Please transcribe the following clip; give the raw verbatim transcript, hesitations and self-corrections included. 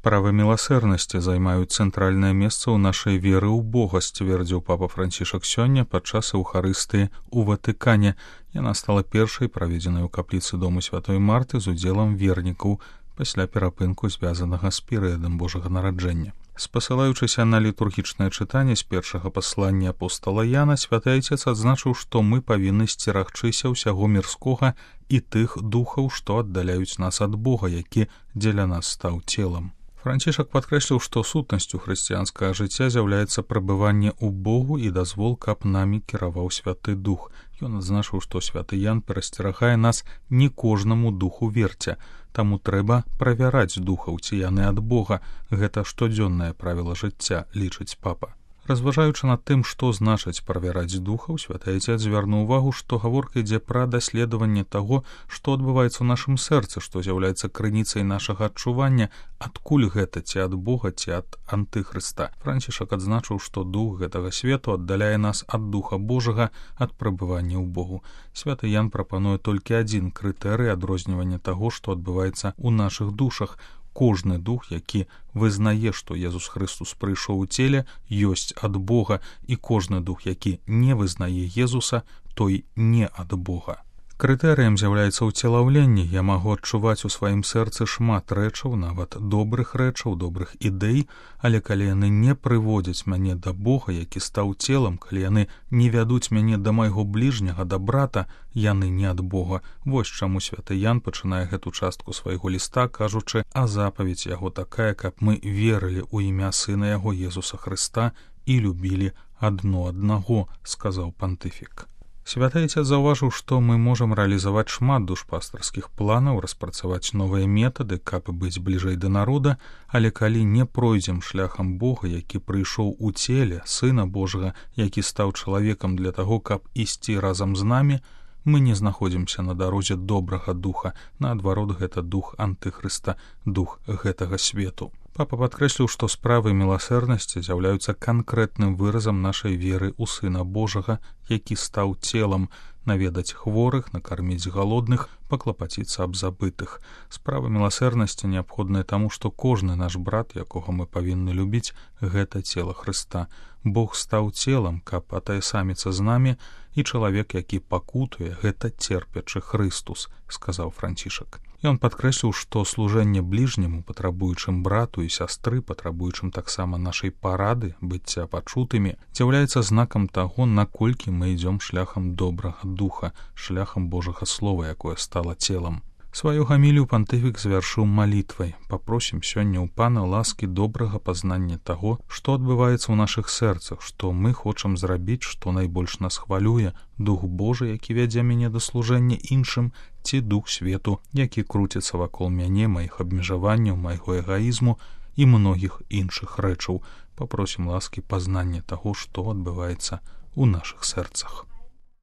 Справы міласэрнасці займаюць цэнтральнае месца ў нашай веры ў Бога, сцвердзіў папа Францішак сёння падчас Эўхарыстыі ў Ватыкане. Яна стала першай праведзенай у капліцы дому святой Марты з удзелам вернікаў пасля перапынку, звязанага з перыядам Божага нараджэння. Спасылаючыся на літургічнае чытанне з першага паслання апостала Яна, святы айцец адзначыў, што мы павінны сцерагчыся ўсяго мірскога і тых духаў, што аддаляюць нас ад Бога, які дзеля нас стаў целам. Францішак падкрэсліў, што сутнасцю хрысціянскага жыцця з'яўляецца прабыванне ў Богу і дазвол, каб намі кіраваў святы дух. Ён адзначыў, што святы Ян перасцерагае нас не кожнаму духу верця, таму трэба правяраць духаў, ці яны ад Бога. Гэта штодзённае правіла жыцця, лічыць папа. Разважаючы над тым, што значыць правяраць духаў, святы айцец звярнуў увагу, што гаворка ідзе пра даследаванне таго, што адбываецца ў нашым сэрцы, што з'яўляецца крыніцай нашага адчування, адкуль гэта, ці ад Бога, ці ад антыхрыста. Францішак адзначыў, што дух гэтага свету аддаляе нас ад духа Божага, ад прабывання ў Богу. Святы Ян прапануе толькі адзін крытэрый адрознівання таго, што адбываецца ў нашых душах. Кожны дух, які вызнае, што Езус Хрыстус прыйшоў у целе, ёсць ад Бога, і кожны дух, які не вызнае Езуса, той не ад Бога. Крытэрыем з'яўляецца ўцелаўленне. Я магу адчуваць у сваім сэрцы шмат рэчаў, нават добрых рэчаў, добрых ідэй, але калі яны не прыводзяць мяне да Бога, які стаў целам, калі яны не вядуць мяне да майго бліжняга, да брата, яны не ад Бога. Вось чаму святы Ян пачынае гэту частку свайго ліста, кажучы, а запаведь яго такая, каб мы верылі ў імя Сына яго Езуса Хрыста і любілі адно аднаго, сказаў пантыфік. Святы айцец заўважыў, што мы можам рэалізаваць шмат душпастарскіх планаў, распрацаваць новыя метады, каб быць бліжэй да народа, але калі не пройдзем шляхам Бога, які прыйшоў у целе, Сына Божага, які стаў чалавекам для таго, каб ісці разам з намі, мы не знаходзімся на дарозе добрага духа, наадварот, гэта дух антыхрыста, дух гэтага свету. Папа падкрэсліў, што справы міласэрнасці з'яўляюцца канкрэтным выразам нашай веры ў Сына Божага, які стаў целам, наведаць хворых, накарміць галодных, паклапаціцца аб забытых. Справа міласэрнасці неабходная таму, што кожны наш брат, якога мы павінны любіць, гэта цела Хрыста. Бог стаў целам, каб атаясаміцца з намі, і чалавек, які пакутуе, гэта церпячы Хрыстус, сказаў Францішак. Ён падкрэсліў, што служэнне бліжняму, патрабуючым брату і сястры, патрабуючым таксама нашай парады, быцця пачутымі, з'яўляецца знакам таго, наколькі мы ідзём шляхам добрага духа, шляхам Божага слова, якое стала целам. Сваю гамілію пантыфік завяршыў малітвай. Папросім сёння ў Пана ласкі добрага пазнання таго, што адбываецца ў нашых сэрцах, што мы хочам зрабіць, што найбольш нас хвалюе, дух Божы, які вядзе мяне да служэння іншым, ці дух свету, які круціцца вакол мяне, маіх абмежаванняў, майго эгаізму і многіх іншых рэчаў. Папросім ласкі пазнання таго, што адбываецца ў нашых сэрцах.